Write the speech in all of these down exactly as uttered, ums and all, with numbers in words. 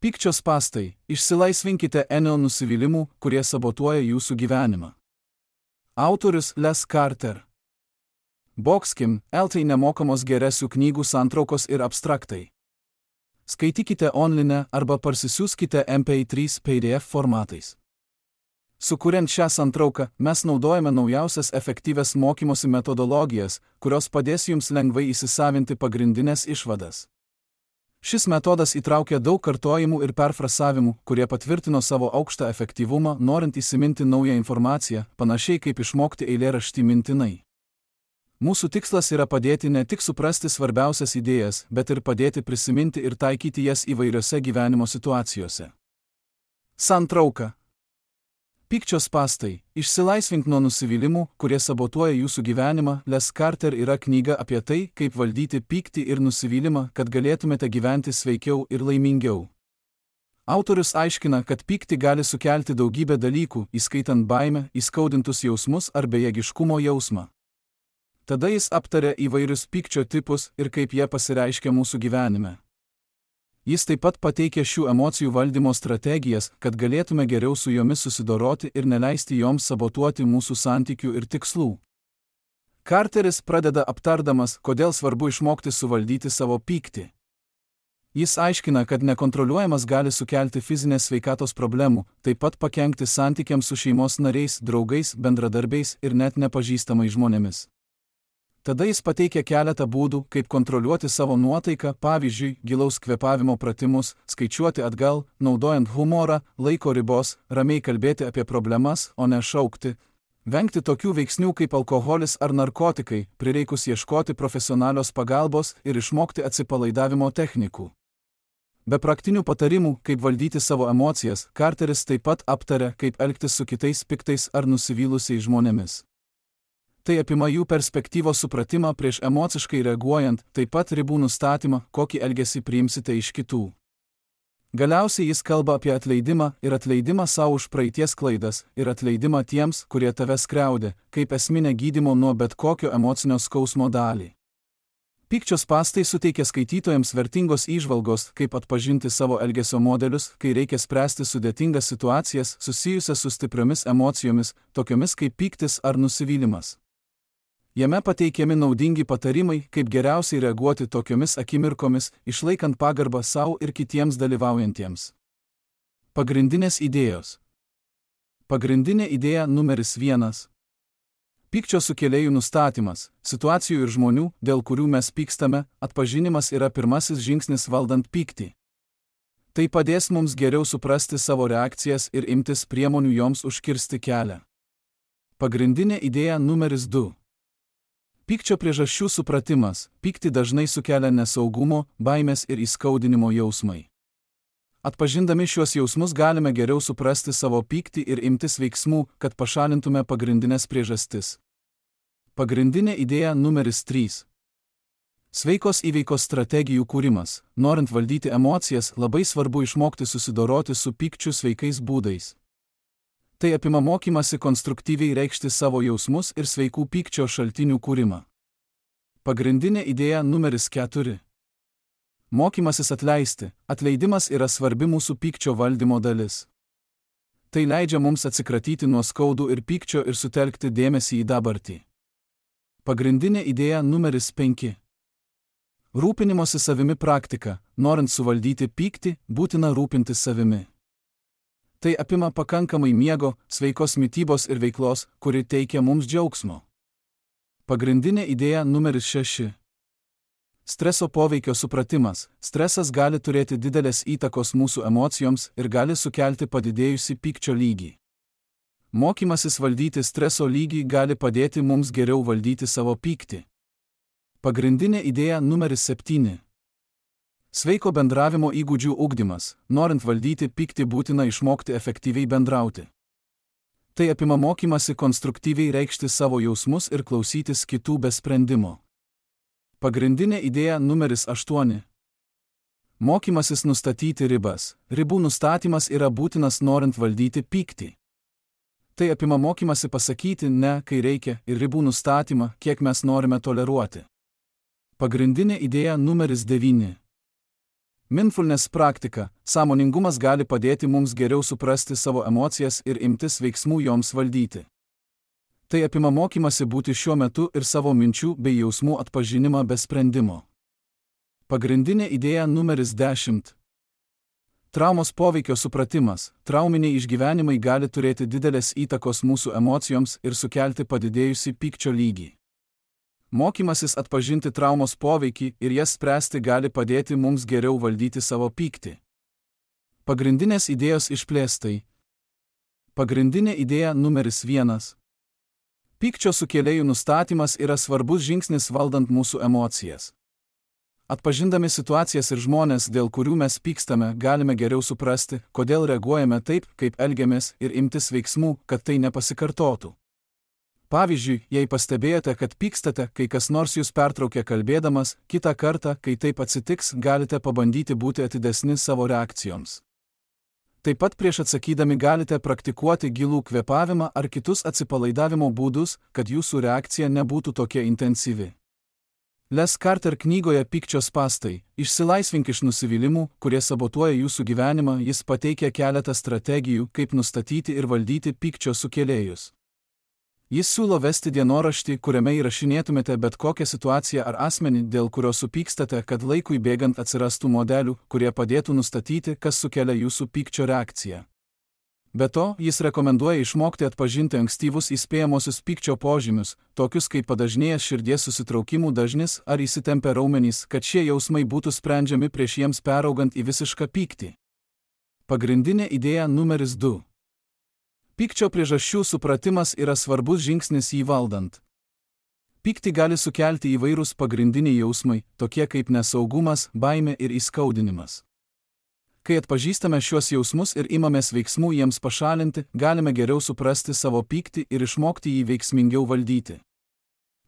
Pykčio spąstai – išsilaisvinkite nuo nusivylimų, kurie sabotuoja jūsų gyvenimą. Autorius Les Carter. Boxkim, L T nemokamos geresių knygų santraukos ir abstraktai. Skaitykite online arba parsisiųskite M P trys P D F formatais. Sukuriant šią santrauką, mes naudojame naujausias efektyvias mokymosi metodologijas, kurios padės jums lengvai įsisavinti pagrindinės išvadas. Šis metodas įtraukia daug kartojimų ir perfrasavimų, kurie patvirtino savo aukštą efektyvumą, norint įsiminti naują informaciją, panašiai kaip išmokti eilėraštį mintinai. Mūsų tikslas yra padėti ne tik suprasti svarbiausias idėjas, bet ir padėti prisiminti ir taikyti jas įvairiose gyvenimo situacijose. Santrauka. Pykčio spąstai – išsilaisvink nuo nusivylimų, kurie sabotuoja jūsų gyvenimą. Les Carter yra knyga apie tai, kaip valdyti pyktį ir nusivylimą, kad galėtumėte gyventi sveikiau ir laimingiau. Autorius aiškina, kad pyktį gali sukelti daugybę dalykų, įskaitant baimę, įskaudintus jausmus ar bejėgiškumo jausmą. Tada jis aptarė įvairius pykčio tipus ir kaip jie pasireiškia mūsų gyvenime. Jis taip pat pateikė šių emocijų valdymo strategijas, kad galėtume geriau su jomis susidoroti ir neleisti joms sabotuoti mūsų santykių ir tikslų. Carteris pradeda aptardamas, kodėl svarbu išmokti suvaldyti savo pyktį. Jis aiškina, kad nekontroliuojamas gali sukelti fizinės sveikatos problemų, taip pat pakenkti santykiams su šeimos nariais, draugais, bendradarbiais ir net nepažįstamais žmonėmis. Tada jis pateikia keletą būdų, kaip kontroliuoti savo nuotaiką, pavyzdžiui, gilaus kvėpavimo pratimus, skaičiuoti atgal, naudojant humorą, laiko ribos, ramiai kalbėti apie problemas, o ne šaukti, vengti tokių veiksnių kaip alkoholis ar narkotikai, prireikus ieškoti profesionalios pagalbos ir išmokti atsipalaidavimo technikų. Be praktinių patarimų, kaip valdyti savo emocijas, Carteris taip pat aptarė, kaip elgtis su kitais piktais ar nusivylusiais žmonėmis. Tai apima jų perspektyvos supratimą prieš emociškai reaguojant, taip pat ribų nustatymą, kokį elgesį priimsite iš kitų. Galiausiai jis kalba apie atleidimą ir atleidimą savo už praeities klaidas ir atleidimą tiems, kurie tave skriaudė, kaip esminę gydymo nuo bet kokio emocinio skausmo dalį. Pykčio spąstai suteikia skaitytojams vertingos įžvalgos, kaip atpažinti savo elgesio modelius, kai reikia spręsti sudėtingas situacijas susijusias su stipriomis emocijomis, tokiomis kaip pyktis ar nusivylimas. Jame pateikiami naudingi patarimai, kaip geriausiai reaguoti tokiomis akimirkomis, išlaikant pagarbą savo ir kitiems dalyvaujantiems. Pagrindinės idėjos. Pagrindinė idėja numeris vienas. Pykčio sukėlėjų nustatymas, situacijų ir žmonių, dėl kurių mes pykstame, atpažinimas yra pirmasis žingsnis valdant pyktį. Tai padės mums geriau suprasti savo reakcijas ir imtis priemonių joms užkirsti kelią. Pagrindinė idėja numeris du. Pykčio priežasčių supratimas. Pyktį dažnai sukelia nesaugumo, baimės ir įskaudinimo jausmai. Atpažindami šiuos jausmus galime geriau suprasti savo pyktį ir imtis veiksmų, kad pašalintume pagrindinės priežastis. Pagrindinė idėja numeris trys. Sveikos įveikos strategijų kūrimas. Norint valdyti emocijas, labai svarbu išmokti susidoroti su pykčiu sveikais būdais. Tai apima mokymasi konstruktyviai reikšti savo jausmus ir sveikų pykčio šaltinių kūrimą. Pagrindinė idėja numeris keturi. Mokymasis atleisti. Atleidimas yra svarbi mūsų pykčio valdymo dalis. Tai leidžia mums atsikratyti nuo skaudų ir pykčio ir sutelkti dėmesį į dabartį. Pagrindinė idėja numeris penki. Rūpinimosi savimi praktika. Norint suvaldyti pyktį, būtina rūpintis savimi. Tai apima pakankamai miego, sveikos mitybos ir veiklos, kuri teikia mums džiaugsmo. Pagrindinė idėja numeris šeši. Streso poveikio supratimas. Stresas gali turėti didelės įtakos mūsų emocijoms ir gali sukelti padidėjusį pykčio lygį. Mokymasis valdyti streso lygį gali padėti mums geriau valdyti savo pyktį. Pagrindinė idėja numeris septyni. Sveiko bendravimo įgūdžių ugdymas. Norint valdyti pyktį būtina išmokti efektyviai bendrauti. Tai apima mokymasi konstruktyviai reikšti savo jausmus ir klausytis kitų be sprendimo. Pagrindinė idėja numeris aštuoni. Mokymasis nustatyti ribas. Ribų nustatymas yra būtinas norint valdyti pyktį. Tai apima mokymasi pasakyti ne, kai reikia, ir ribų nustatymą, kiek mes norime toleruoti. Pagrindinė idėja numeris devyni. Mindfulness praktika, sąmoningumas gali padėti mums geriau suprasti savo emocijas ir imtis veiksmų joms valdyti. Tai apima mokymasi būti šiuo metu ir savo minčių bei jausmų atpažinimą be sprendimo. Pagrindinė idėja numeris dešimt. Traumos poveikio supratimas. Trauminiai išgyvenimai gali turėti didelės įtakos mūsų emocijoms ir sukelti padidėjusį pykčio lygį. Mokymasis atpažinti traumos poveikį ir jas spręsti gali padėti mums geriau valdyti savo pyktį. Pagrindinės idėjos išplėstai. Pagrindinė idėja numeris vienas. Pykčio sukėlėjų nustatymas yra svarbus žingsnis valdant mūsų emocijas. Atpažindami situacijas ir žmonės, dėl kurių mes pykstame, galime geriau suprasti, kodėl reaguojame taip, kaip elgiamės, ir imtis veiksmų, kad tai nepasikartotų. Pavyzdžiui, jei pastebėjote, kad pykstate, kai kas nors jūs pertraukia kalbėdamas, kitą kartą, kai taip atsitiks, galite pabandyti būti atidesni savo reakcijoms. Taip pat prieš atsakydami galite praktikuoti gilų kvėpavimą ar kitus atsipalaidavimo būdus, kad jūsų reakcija nebūtų tokia intensyvi. Les Carter knygoje Pykčio spąstai – Išsilaisvink iš nusivylimų, kurie sabotuoja jūsų gyvenimą, jis pateikia keletą strategijų, kaip nustatyti ir valdyti pykčio sukėlėjus. Jis siūlo vesti dienoraštį, kuriame įrašinėtumėte bet kokią situaciją ar asmenį, dėl kurio supykstate, kad laikui bėgant atsirastų modelių, kurie padėtų nustatyti, kas sukelia jūsų pykčio reakciją. Be to, jis rekomenduoja išmokti atpažinti ankstyvus įspėjamosius pykčio požymius, tokius kaip padažnėjęs širdies susitraukimų dažnis ar įsitempę raumenys, kad šie jausmai būtų sprendžiami prieš jiems peraugant į visišką pyktį. Pagrindinė idėja numeris du. Pykčio priežasčių supratimas yra svarbus žingsnis jį valdant. Pyktį gali sukelti įvairūs pagrindiniai jausmai, tokie kaip nesaugumas, baimė ir įskaudinimas. Kai atpažįstame šiuos jausmus ir imamės veiksmų jiems pašalinti, galime geriau suprasti savo pyktį ir išmokti jį veiksmingiau valdyti.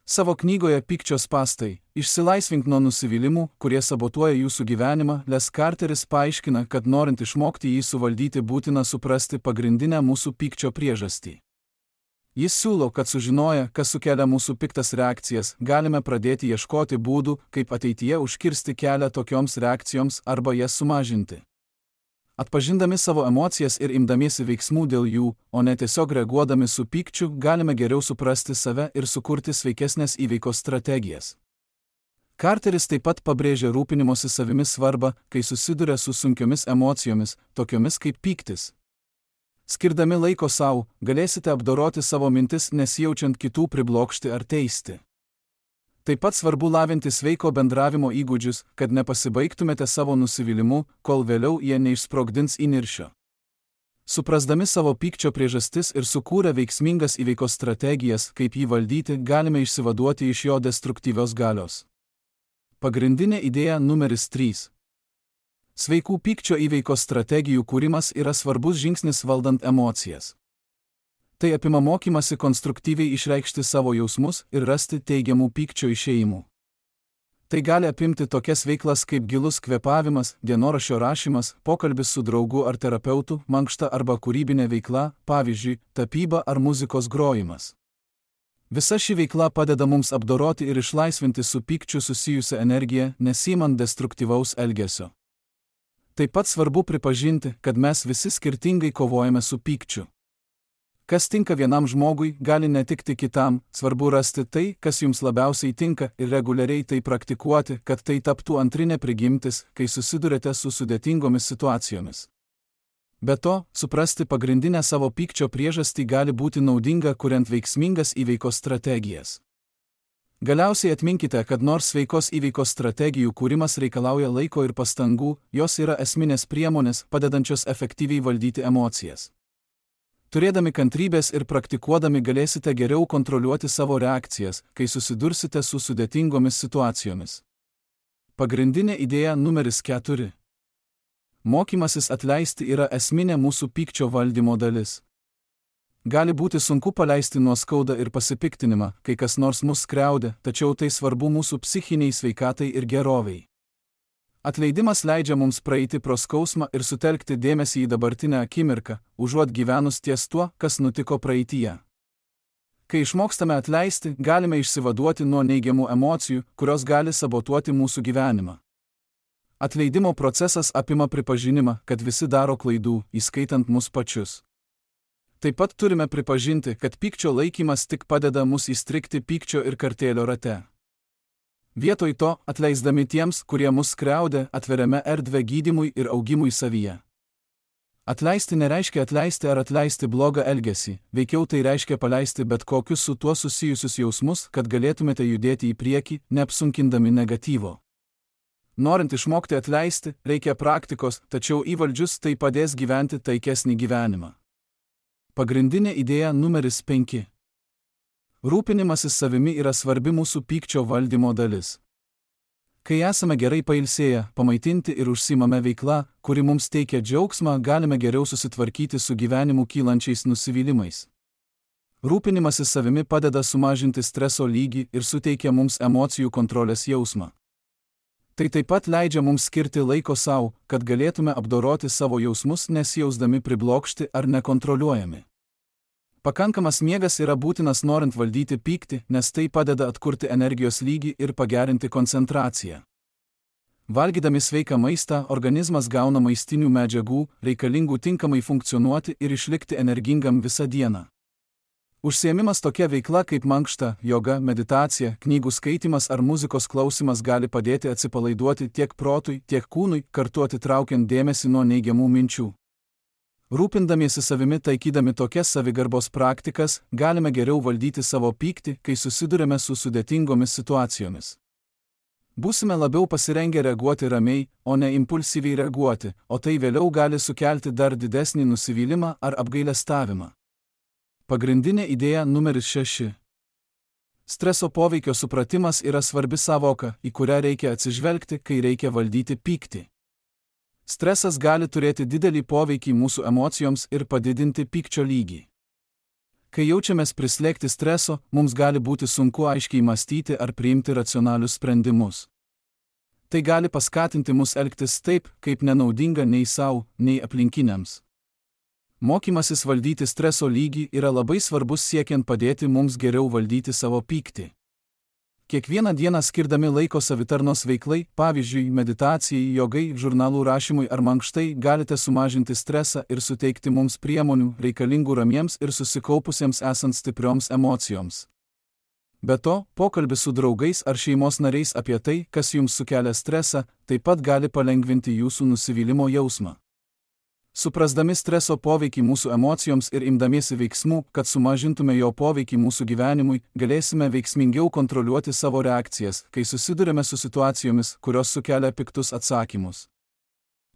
Savo knygoje Pykčio spąstai – Išsilaisvink nuo nusivylimų, kurie sabotuoja jūsų gyvenimą, Les Carteris paaiškina, kad norint išmokti jį suvaldyti būtina suprasti pagrindinę mūsų pykčio priežastį. Jis siūlo, kad sužinoję, kas sukelia mūsų piktas reakcijas, galime pradėti ieškoti būdų, kaip ateityje užkirsti kelią tokioms reakcijoms arba jas sumažinti. Atpažindami savo emocijas ir imdamiesi veiksmų dėl jų, o ne tiesiog reaguodami su pykčiu, galime geriau suprasti save ir sukurti sveikesnės įveikos strategijas. Carteris taip pat pabrėžia rūpinimosi savimi svarbą, kai susiduria su sunkiomis emocijomis, tokiomis kaip pyktis. Skirdami laiko savo, galėsite apdoroti savo mintis, nesijaučiant kitų priblokšti ar teisti. Taip pat svarbu lavinti sveiko bendravimo įgūdžius, kad nepasibaigtumėte savo nusivylimu, kol vėliau jie neišsprogdins įniršio. Suprasdami savo pykčio priežastis ir sukūrę veiksmingas įveikos strategijas, kaip jį valdyti, galime išsivaduoti iš jo destruktyvios galios. Pagrindinė idėja numeris trys. Sveikų pykčio įveikos strategijų kūrimas yra svarbus žingsnis valdant emocijas. Tai apima mokymasi konstruktyviai išreikšti savo jausmus ir rasti teigiamų pykčio išėjimų. Tai gali apimti tokias veiklas kaip gilus kvėpavimas, dienoraščio rašymas, pokalbis su draugu ar terapeutu, mankšta arba kūrybinė veikla, pavyzdžiui, tapyba ar muzikos grojimas. Visa ši veikla padeda mums apdoroti ir išlaisvinti su pykčiu susijusią energiją, nesiimant destruktyvaus elgesio. Taip pat svarbu pripažinti, kad mes visi skirtingai kovojame su pykčiu. Kas tinka vienam žmogui, gali netikti kitam, svarbu rasti tai, kas jums labiausiai tinka ir reguliariai tai praktikuoti, kad tai taptų antrinė prigimtis, kai susidurite su sudėtingomis situacijomis. Be to, suprasti pagrindinę savo pykčio priežastį gali būti naudinga, kuriant veiksmingas įveikos strategijas. Galiausiai atminkite, kad nors sveikos įveikos strategijų kūrimas reikalauja laiko ir pastangų, jos yra esminės priemonės, padedančios efektyviai valdyti emocijas. Turėdami kantrybės ir praktikuodami galėsite geriau kontroliuoti savo reakcijas, kai susidursite su sudėtingomis situacijomis. Pagrindinė idėja numeris keturi. Mokymasis atleisti yra esminė mūsų pykčio valdymo dalis. Gali būti sunku paleisti nuoskaudą ir pasipiktinimą, kai kas nors mus skriaudė, tačiau tai svarbu mūsų psichiniai sveikatai ir gerovei. Atleidimas leidžia mums praeiti pro skausmą ir sutelkti dėmesį į dabartinę akimirką, užuot gyvenus ties tuo, kas nutiko praeityje. Kai išmokstame atleisti, galime išsivaduoti nuo neigiamų emocijų, kurios gali sabotuoti mūsų gyvenimą. Atleidimo procesas apima pripažinimą, kad visi daro klaidų, įskaitant mus pačius. Taip pat turime pripažinti, kad pykčio laikymas tik padeda mus įstrigti pykčio ir kartėlio rate. Vietoj to, atleisdami tiems, kurie mus skriaudė, atveriame erdvę gydymui ir augimui savyje. Atleisti nereiškia atleisti ar atleisti blogą elgesį, veikiau tai reiškia paleisti bet kokius su tuo susijusius jausmus, kad galėtumėte judėti į priekį, neapsunkindami negatyvo. Norint išmokti atleisti, reikia praktikos, tačiau įvaldžius tai padės gyventi taikesnį gyvenimą. Pagrindinė idėja numeris penki. Rūpinimasis savimi yra svarbi mūsų pykčio valdymo dalis. Kai esame gerai pailsėję, pamaitinti ir užsiimame veikla, kuri mums teikia džiaugsmą, galime geriau susitvarkyti su gyvenimu kylančiais nusivylimais. Rūpinimasis savimi padeda sumažinti streso lygį ir suteikia mums emocijų kontrolės jausmą. Tai taip pat leidžia mums skirti laiko savo, kad galėtume apdoroti savo jausmus nesijausdami priblokšti ar nekontroliuojami. Pakankamas miegas yra būtinas norint valdyti pyktį, nes tai padeda atkurti energijos lygį ir pagerinti koncentraciją. Valgydami sveiką maistą, organizmas gauna maistinių medžiagų, reikalingų tinkamai funkcionuoti ir išlikti energingam visą dieną. Užsiėmimas tokia veikla kaip mankšta, joga, meditacija, knygų skaitimas ar muzikos klausimas gali padėti atsipalaiduoti tiek protui, tiek kūnui, kartu atitraukiant dėmesį nuo neigiamų minčių. Rūpindamiesi savimi taikydami tokias savigarbos praktikas, galime geriau valdyti savo pyktį, kai susidurime su sudėtingomis situacijomis. Būsime labiau pasirengę reaguoti ramiai, o ne impulsyviai reaguoti, o tai vėliau gali sukelti dar didesnį nusivylimą ar apgailestavimą. Pagrindinė idėja numeris šeši. Streso poveikio supratimas yra svarbi savoka, į kurią reikia atsižvelgti, kai reikia valdyti pyktį. Stresas gali turėti didelį poveikį mūsų emocijoms ir padidinti pykčio lygį. Kai jaučiamės prislėgti streso, mums gali būti sunku aiškiai mąstyti ar priimti racionalius sprendimus. Tai gali paskatinti mus elgtis taip, kaip nenaudinga nei savo, nei aplinkiniams. Mokymasis valdyti streso lygį yra labai svarbus siekiant padėti mums geriau valdyti savo pyktį. Kiekvieną dieną skirdami laiko savitarnos veiklai, pavyzdžiui, meditacijai, jogai, žurnalų rašymui ar mankštai, galite sumažinti stresą ir suteikti mums priemonių, reikalingų ramiems ir susikaupusiems esant stiprioms emocijoms. Be to, pokalbis su draugais ar šeimos nariais apie tai, kas jums sukelia stresą, taip pat gali palengvinti jūsų nusivylimo jausmą. Suprasdami streso poveikį mūsų emocijoms ir imdamiesi veiksmų, kad sumažintume jo poveikį mūsų gyvenimui, galėsime veiksmingiau kontroliuoti savo reakcijas, kai susidurime su situacijomis, kurios sukelia piktus atsakymus.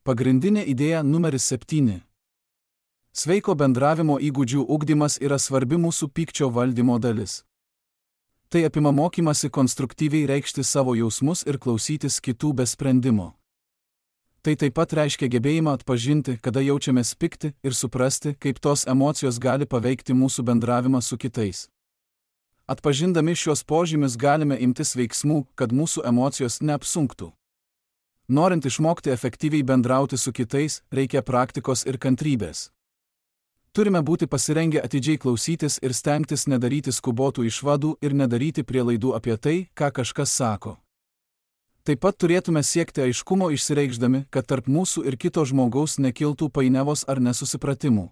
Pagrindinė idėja numeris septyni. Sveiko bendravimo įgūdžių ugdymas yra svarbi mūsų pykčio valdymo dalis. Tai apima mokymasi konstruktyviai reikšti savo jausmus ir klausytis kitų be sprendimo. Tai taip pat reiškia gebėjimą atpažinti, kada jaučiamės pikti ir suprasti, kaip tos emocijos gali paveikti mūsų bendravimą su kitais. Atpažindami šios požymius galime imtis veiksmų, kad mūsų emocijos neapsunktų. Norint išmokti efektyviai bendrauti su kitais, reikia praktikos ir kantrybės. Turime būti pasirengę atidžiai klausytis ir stengtis nedaryti skubotų išvadų ir nedaryti prielaidų apie tai, ką kažkas sako. Taip pat turėtume siekti aiškumo išsireikšdami, kad tarp mūsų ir kito žmogaus nekiltų painiavos ar nesusipratimų.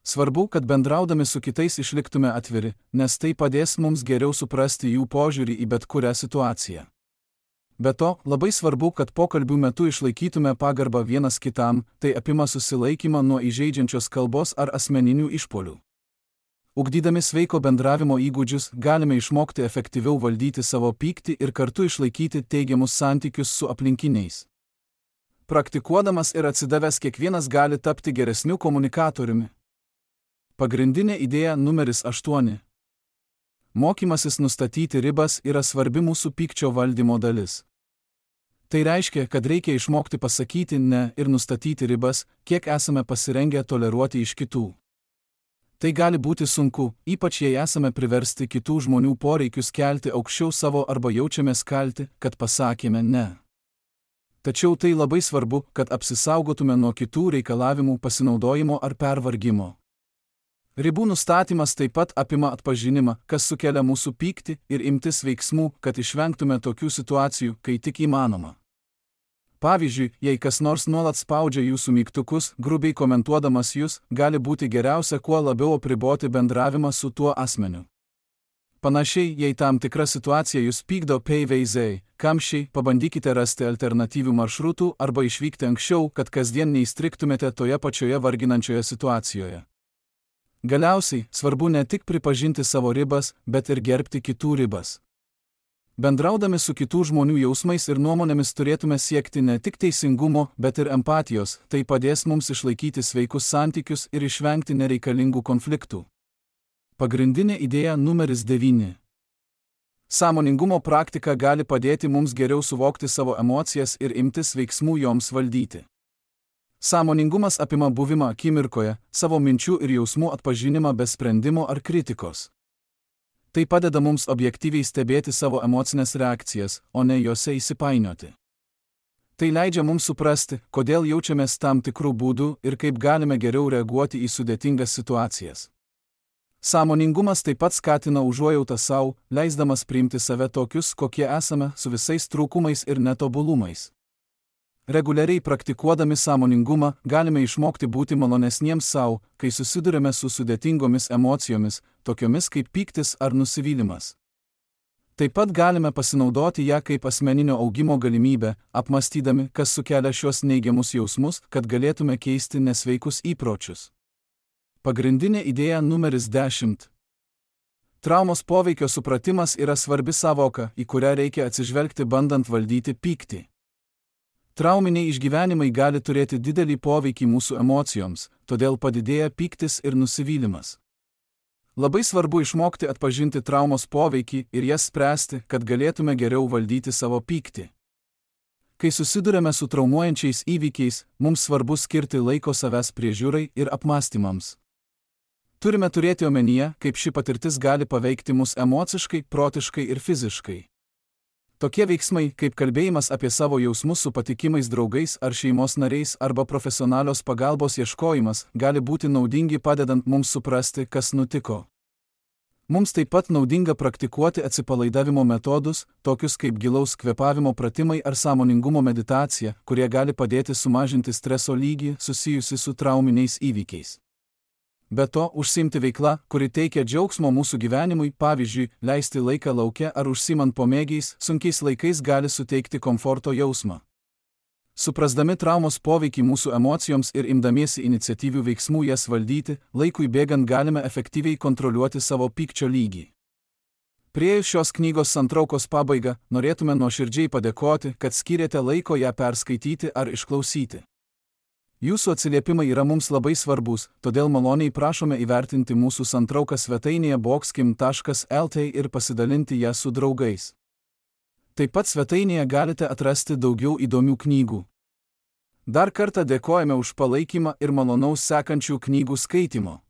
Svarbu, kad bendraudami su kitais išliktume atviri, nes tai padės mums geriau suprasti jų požiūrį į bet kurią situaciją. Be to, labai svarbu, kad pokalbių metu išlaikytume pagarbą vienas kitam, tai apima susilaikymą nuo įžeidžiančios kalbos ar asmeninių išpuolių. Ugdydami sveiko bendravimo įgūdžius, galime išmokti efektyviau valdyti savo pyktį ir kartu išlaikyti teigiamus santykius su aplinkiniais. Praktikuodamas ir atsidavęs kiekvienas gali tapti geresniu komunikatoriumi. Pagrindinė idėja numeris aštuoni. Mokymasis nustatyti ribas yra svarbi mūsų pykčio valdymo dalis. Tai reiškia, kad reikia išmokti pasakyti ne ir nustatyti ribas, kiek esame pasirengę toleruoti iš kitų. Tai gali būti sunku, ypač jei esame priversti kitų žmonių poreikius kelti aukščiau savo arba jaučiamės kalti, kad pasakėme ne. Tačiau tai labai svarbu, kad apsisaugotume nuo kitų reikalavimų pasinaudojimo ar pervargimo. Ribų nustatymas taip pat apima atpažinimą, kas sukelia mūsų pyktį ir imtis veiksmų, kad išvengtume tokių situacijų, kai tik įmanoma. Pavyzdžiui, jei kas nors nuolat spaudžia jūsų mygtukus, grubiai komentuodamas jūs, gali būti geriausia kuo labiau apriboti bendravimą su tuo asmeniu. Panašiai, jei tam tikra situacija jūs pykdo peiveiziai, kamščiai, pabandykite rasti alternatyvių maršrutų arba išvykti anksčiau, kad kasdien neįstriktumėte toje pačioje varginančioje situacijoje. Galiausiai, svarbu ne tik pripažinti savo ribas, bet ir gerbti kitų ribas. Bendraudami su kitų žmonių jausmais ir nuomonėmis turėtume siekti ne tik teisingumo, bet ir empatijos, tai padės mums išlaikyti sveikus santykius ir išvengti nereikalingų konfliktų. Pagrindinė idėja numeris devyni. Sąmoningumo praktika gali padėti mums geriau suvokti savo emocijas ir imtis veiksmų joms valdyti. Sąmoningumas apima buvimą akimirkoje, savo minčių ir jausmų atpažinimą be sprendimo ar kritikos. Tai padeda mums objektyviai stebėti savo emocinės reakcijas, o ne jose įsipainioti. Tai leidžia mums suprasti, kodėl jaučiamės tam tikrų būdų ir kaip galime geriau reaguoti į sudėtingas situacijas. Sąmoningumas taip pat skatina užuojautą savo, leisdamas priimti save tokius, kokie esame, su visais trūkumais ir netobulumais. Reguliariai praktikuodami sąmoningumą galime išmokti būti malonesniems savo, kai susidurime su sudėtingomis emocijomis, tokiomis kaip pyktis ar nusivylimas. Taip pat galime pasinaudoti ją kaip asmeninio augimo galimybę, apmąstydami, kas sukelia šios neigiamus jausmus, kad galėtume keisti nesveikus įpročius. Pagrindinė idėja numeris dešimt. Traumos poveikio supratimas yra svarbi sąvoka, į kurią reikia atsižvelgti bandant valdyti pyktį. Trauminiai išgyvenimai gali turėti didelį poveikį mūsų emocijoms, todėl padidėja pyktis ir nusivylimas. Labai svarbu išmokti atpažinti traumos poveikį ir jas spręsti, kad galėtume geriau valdyti savo pyktį. Kai susidurime su traumuojančiais įvykiais, mums svarbu skirti laiko savęs priežiūrai ir apmąstymams. Turime turėti omenyje, kaip ši patirtis gali paveikti mus emociškai, protiškai ir fiziškai. Tokie veiksmai, kaip kalbėjimas apie savo jausmus su patikimais draugais ar šeimos nariais arba profesionalios pagalbos ieškojimas, gali būti naudingi padedant mums suprasti, kas nutiko. Mums taip pat naudinga praktikuoti atsipalaidavimo metodus, tokius kaip gilaus kvėpavimo pratimai ar sąmoningumo meditacija, kurie gali padėti sumažinti streso lygį susijusi su trauminiais įvykiais. Be to, užsiimti veikla, kuri teikia džiaugsmo mūsų gyvenimui, pavyzdžiui, leisti laiką lauke ar užsiimant pomėgiais, sunkiais laikais gali suteikti komforto jausmą. Suprasdami traumos poveikį mūsų emocijoms ir imdamiesi iniciatyvių veiksmų jas valdyti, laikui bėgant galime efektyviai kontroliuoti savo pykčio lygį. Priėjus šios knygos santraukos pabaigą, norėtume nuoširdžiai padėkoti, kad skyrėte laiko ją perskaityti ar išklausyti. Jūsų atsiliepimai yra mums labai svarbus, todėl maloniai prašome įvertinti mūsų santrauką svetainėje boxkim taškas lt ir pasidalinti ją su draugais. Taip pat svetainėje galite atrasti daugiau įdomių knygų. Dar kartą dėkojame už palaikymą ir malonaus sekančių knygų skaitimo.